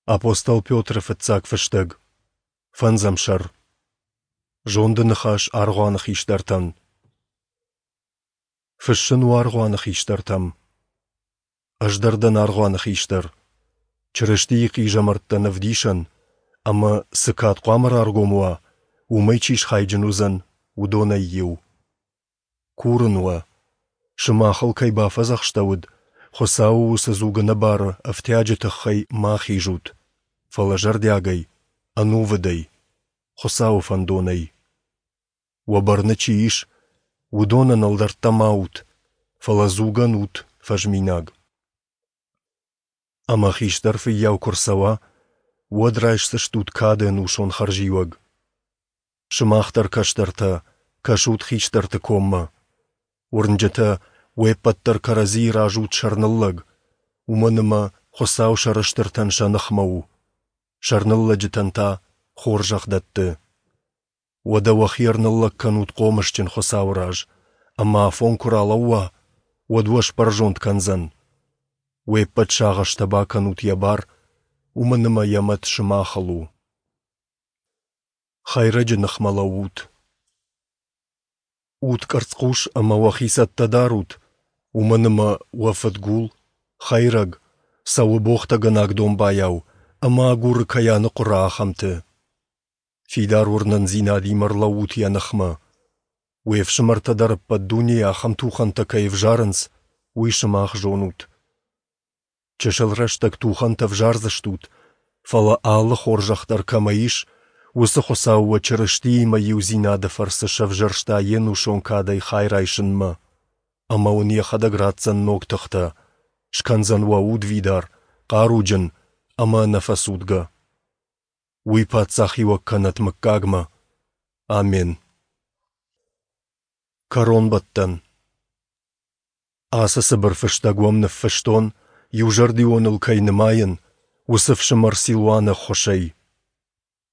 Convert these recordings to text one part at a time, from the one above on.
Апостол Петры фыццаг фыстӕг. Фӕндзӕм сӕр. Зонды ныхас аргъуаны хистӕртӕн. Фыссын у аргъуаны хистӕртӕм. Ӕз дӕр дӕн аргъуаны хистӕр. Чырыстийы хъизӕмӕрттӕн ӕвдисӕн, ӕмӕ, цы кад хъуамӕ раргом уа, уымӕй чи схайджын уыдзӕн, уыдонӕй иу. Курын уӕ, сымахыл кӕй бафӕдзӕхстӕуыд, Хуыцауы уыцы дзуг ӕнӕбары ӕфтиаджы тыххӕй ма хизут, фӕлӕ зӕрдиагӕй, ӕнувыдӕй, Хуыцауы фӕндонӕй. Уӕ бӕрны чи ис, уыдонӕн ӕлдӕрттӕ ма ут, фӕлӕ дзугӕн ут фӕзминаг. Ӕмӕ хистӕр фыййау куы рцӕуа, уӕд райсдзыстут кады ӕнусон хӕрзиуӕг. Сымах дӕр, кӕстӕртӕ, кӕсут хистӕрты коммӕ. Уырнджытӕ, уе ппӕт дӕр кӕрӕдзийы раз ут сӕрныллӕг, уымӕн ӕмӕ Хуыцау сӕрыстыртӕн сӕ ныхмӕ у, сӕрныллӕджытӕн та хорзӕх дӕтты. Уӕдӕ уӕхи ӕрныллӕг кӕнут хъомысджын Хуыцауы раз, ӕмӕ афон куы ралӕууа, уӕд уӕ сбӕрзонд кӕндзӕн. Уе ппӕт сагъӕстӕ бакӕнут йӕ бар, уымӕн ӕмӕ йӕ мӕт сымахыл у. Хӕйрӕджы ныхмӕ лӕуут. Ут къӕрцхъус ӕмӕ уӕхи цӕттӕ дарут, уымӕн ӕмӕ уӕ фыдгул, хӕйрӕг, цӕуы богътӕгӕнаг домбайау ӕмӕ агуры кӕй аныхъуыра, ахӕмты. Фидар уырнындзинадимӕ ӕрлӕуут йӕ ныхмӕ. Уе фсымӕртӕ дӕр ӕппӕт дунейы ахӕм тухӕнтӕ кӕй ӕвзарынц, уый сымах зонут. Чысыл рӕстӕг тухӕнтӕ ӕвзардзыстут, фӕлӕ алы хорзӕх дӕр кӕмӕ ис, уыцы Хуыцау уӕ Чырыстиимӕ иудзинады фӕрцы сӕвзӕрста йе нусон кадӕй хай райсынмӕ. Ӕмӕ уын йӕхӕдӕг ратдзӕн ног тыхтӕ, скӕндзӕн уӕ удвидар, хъаруджын ӕмӕ ӕнӕфӕцудгӕ. Уый паддзахиуӕг кӕнӕт мыггагмӕ. Амен. Кӕронбӕттӕн. Ацы цыбыр фыстӕг уӕм ныффыстон, иузӕрдионыл кӕй нымайын, уыцы фсымӕр Силуаны ӕххуысӕй.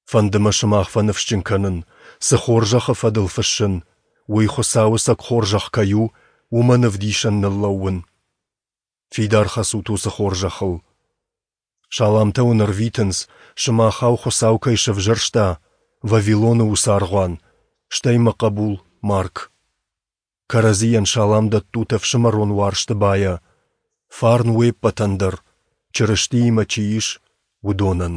Фӕнды мӕ сымах фӕныфсджын кӕнын, цы хорзӕхы фӕдыл фыссын, уый Хуыцауы цӕг хорзӕх кӕй у, уымӕн ӕвдисӕн ныллӕууын. Фидар хӕцут уыцы хорзӕхыл. Саламтӕ уын ӕрвитынц, сымахау Хуыцау кӕй сӕвзӕрста, Вавилоны уыцы аргъуан, стӕй мӕ хъӕбул Марк. Кӕрӕдзийӕн салам дӕттут ӕфсымӕрон уарзты байӕ. Фарн уе ппӕтӕн дӕр, Чырыстиимӕ чи ис, уыдонӕн.